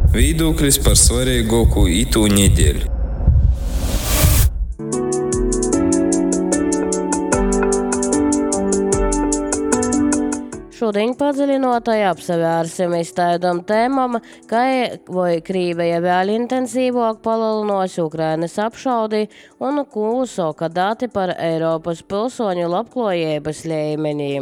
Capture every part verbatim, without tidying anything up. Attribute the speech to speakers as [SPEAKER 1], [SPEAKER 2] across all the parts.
[SPEAKER 1] Viedoklis par svarīgāko itū nedēļu.
[SPEAKER 2] Šodien padziļinotai apsevērsim iztaidam tēmam, kā vai Krīveja vēl intensīvāk palielinās Ukrainas apšaudi un ko soka dati par Eiropas pilsoņu labklājības līmenī.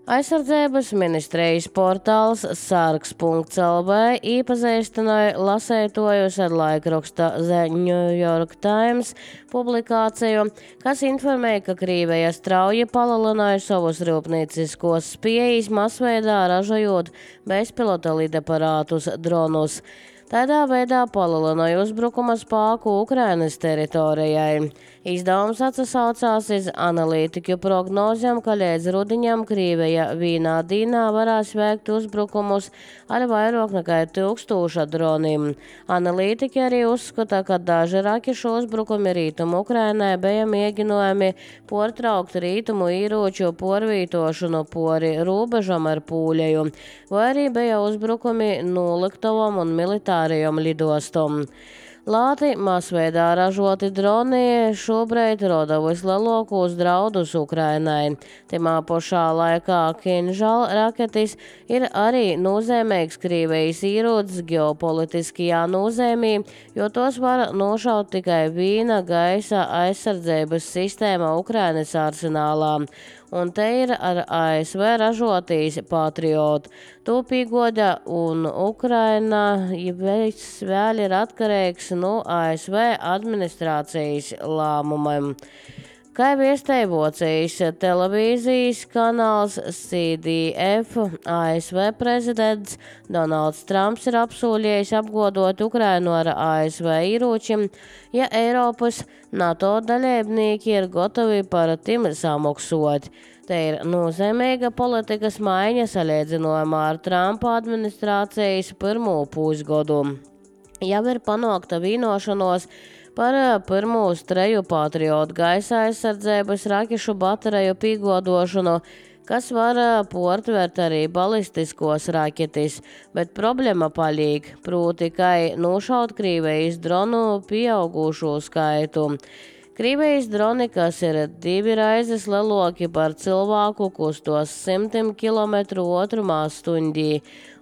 [SPEAKER 2] Aizsardzības ministrijas portāls sargs punkts el vē iepazīstināja lasētojus ar laikraksta The New York Times publikāciju, kas informēja, ka Krīveja strauji palielināja savus rūpnieciskos spējas masveidā ražojot bezpilota lidaparātus dronus. Tādā veidā palielināja uzbrukuma spēku Ukrainas teritorijai. Izdevums atsaucās uz analītiķu prognozēm, ka līdz rudiņam Krīveja vienā dienā varēs veikt uzbrukumus ar vairāk nekā tūkstoša droniem. Analītiķi arī uzskata, ka daži rakešu uzbrukumi rītumu Ukrainai bija mēģinājumi portraukt rītumu ieroču porvītošanu pori robežam ar Pūļeju, vai arī bija uzbrukumi noliktavam un militārajam lidostam. Lāti masveidā ražoti droni šobrīd roda vislielākos draudus Ukrainai. Timā pašā laikā Kinžal raketis ir arī nozīmīgs Krīvejas ierocis ģeopolitiskajā nozīmē, jo tos var nošaut tikai viena gaisa aizsardzības sistēma Ukrainas arsenālā. Un te ir ar A S V ražotīs Patriot. To piegoda un Ukraina viss vēl ir atkarīgs no A S V administrācijas lēmumiem. Kā viestēja Vocijas televīzijas kanāls C D F, A S V prezidents Donalds Trumps ir apsolījis apgodot Ukrainu ar A S V ieročiem, ja Eiropas NATO dalībnieki ir gatavi par tiem samaksot. Te ir nozīmīga politikas maiņa salīdzinājumā ar Trumpa administrācijas pirmo pusgadu. Jau ir panākta vienošanos par pirmos treju Patriot gaisa aizsardzības rakešu bateriju piegodošanu, kas var portvert arī balistiskos raketis, bet problēma paliek, proti, kā nošaut Krīvejas dronu pieaugušo skaitu. Krīvejas droni, kas ir divi raizes lielāki par cilvēku, kustos simtiem kilometru otrumā stundī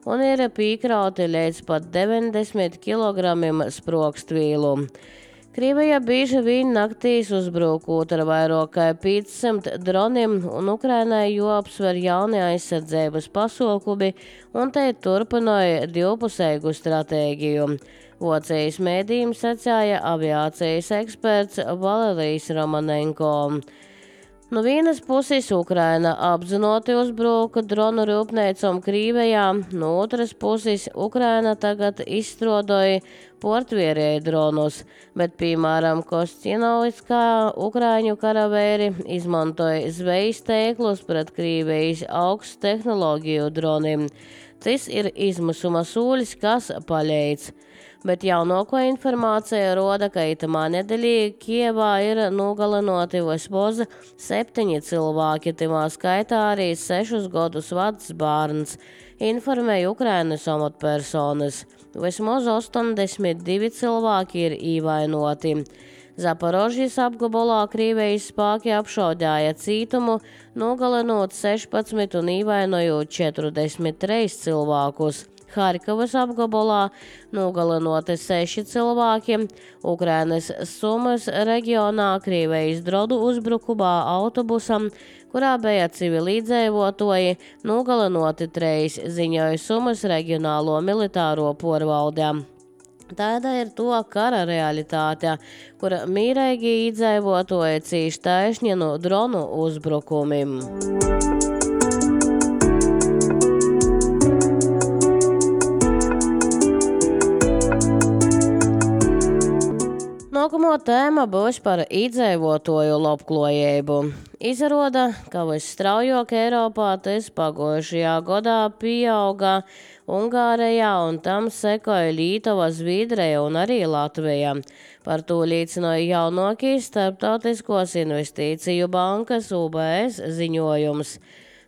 [SPEAKER 2] un ir piekrauti līdz pat deviņdesmit kilogramiem sprogstvīlu. Krīveja bieži vien naktīs uzbrukot ar vairāk kā piecsimt droniem, un Ukrainai jāapsver jaunie aizsardzības pasākumi, un te turpināja divpusēju stratēģiju. Vocijas mēdījiem secēja aviācijas eksperts Valerijs Romanenko. No vienas puses Ukraina apzināti uzbruka dronu rūpniecam Krīvejā, no otras puses Ukraina tagad izstrādāja portvērēju dronus, bet, piemēram, Kostinoviskā ukraiņu karavēri izmantoja zvejas tēklus pret Krīvejas augstu tehnoloģiju droniem. Tas ir izmisuma sūļs, kas palīdz. Bet jaunāko informācija roda, ka itamā nedēļā Kievā ir nogalinoti vismaz septiņi cilvēki, timā skaitā arī sešus gadus vecs bērns, informēja Ukrainas amatpersonas. Vismaz astoņdesmit divi cilvēki ir ievainoti. Zaporožijas apgabalā Krīvejas spēki apšaudīja cietumu, nogalinot sešpadsmit un ievainojot četrdesmit trīs cilvēkus. Harkivas apgabalā nogalinoti seši cilvēki, Ukrainas Sumas reģionā Krīvejas dronu uzbrukumā autobusam, kurā bija civilīdzīvotāji, nogalinoti trīs, ziņoja Sumas reģionālo militāro porvaldē. Tāda ir to kara realitāte, kur mīrīgi iedzīvotāji cīš taisni no dronu uzbrukumiem. Nākamā tēma būs par iedzīvotāju labklājību. Izrāda, ka visstraujāk Eiropā tas pagājušajā gadā pieauga Ungārijā un tam sekoja Lietuva, Zviedrija un arī Latvija. Par to liecināja jaunākais Starptautiskos investīciju bankas U B S ziņojums.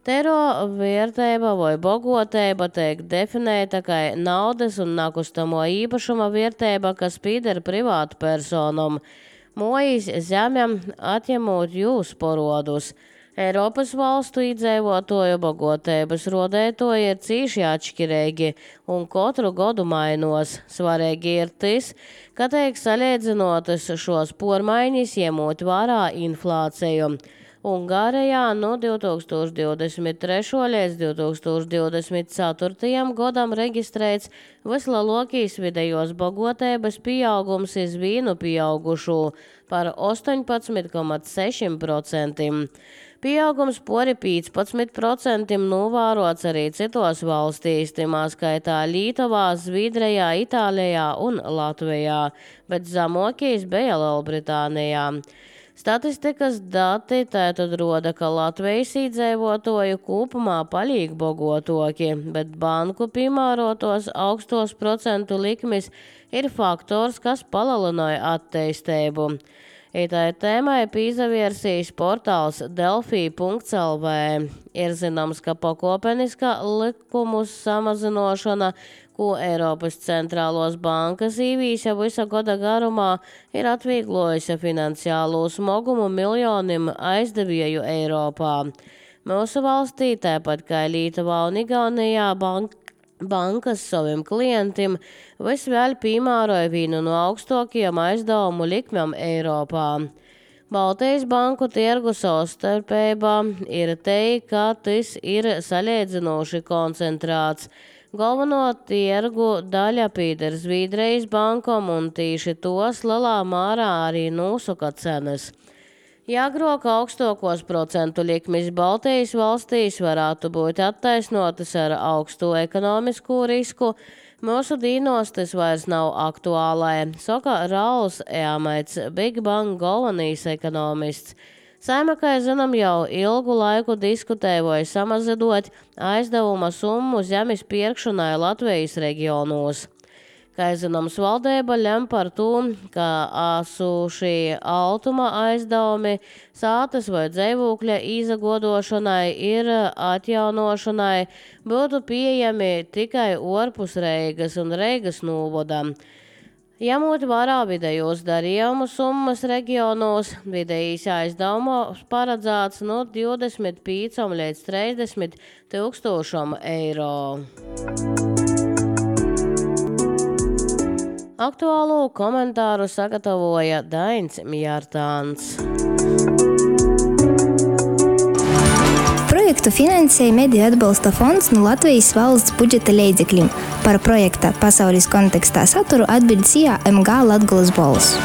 [SPEAKER 2] Tero vērtība vai bogotība tiek definēta kā naudas un nakustamo īpašuma vērtība, kas pieder privātu personam, mojas zemēm atņemot jūs porodus. Eiropas valstu iedzīvotāju bagotības rodētoji ir cīši atšķirīgi un katru gadu mainos. Svarīgi ir tas, ka tiek salīdzinotas šos pormaiņas ņemot vērā inflāciju. Ungārijā no divi tūkstoši divdesmit trešā līdz divi tūkstoši divdesmit ceturtajam gadam reģistrēts vislielākais vidējos bagotības pieaugums iz vīnu pieaugušu par astoņpadsmit komats seši procenti. Pieaugums pori piecpadsmit procenti novērots arī citos valstīs, timā skaitā Lietuvā, Zviedrijā, Itālijā un Latvijā, bet zemākais bija Lielbritānijā. Statistikas dati tātad roda, ka Latvijas iedzīvotāju kopumā paliek bogotāki, bet banku piemērotos augstos procentu likmes ir faktors, kas palielināja attīstību. Itai tēmai pīzavērsīs portāls delfī punkts el vē. Ir zināms, ka pakopeniska likumu samazinošana, ko Eiropas centrālos bankas īvīsa visa gada garumā, ir atvieglojusi finansiālo smogumu miljoniem aizdevēju Eiropā. Mūsu valstī, tāpat kā Lietuvā un Igaunijā, banka Bankas saviem klientiem visvēl piemēroja vienu no augstākajiem aizdevumu likmēm Eiropā. Baltijas banku tirgu savstarpībā ir teikt, ka tas ir salīdzinoši koncentrēts. Galveno tirgu daļa pieder Zviedrijas bankam un tīši tos lielā mērā arī nosaka cenas. Jāgrok augstākos procentu likmes Baltijas valstīs varētu būt attaisnotas ar augstu ekonomisko risku, mūsu dīnos tas vairs nav aktuālai, saka Rauls Eamaits, Big Bang galvenais ekonomists. Saima, kā zinām, jau ilgu laiku diskutēja samazinot aizdevuma summu zemes pirkšanai Latvijas reģionos. Kā zināms, valdība lem par to, ka esošie altuma aizdevumi sātas vai dzīvokļa izagodošanai ir atjaunošanai būtu pieejami tikai ārpus Reigas un Reigas novada. Ņemot vērā vidējos darījumu summas reģionos, vidējais aizdevums paredzēts no divdesmit pieciem līdz trīsdesmit tūkstošiem eiro. Aktuālo komentāru sagatavoja Dains Mjārtāns.
[SPEAKER 3] Projektu finansēja Mediju atbalsta fonds no Latvijas valsts budžeta līdzekļiem. Par projekta pasaules kontekstā saturu atbild C I A M G Latgolas balss.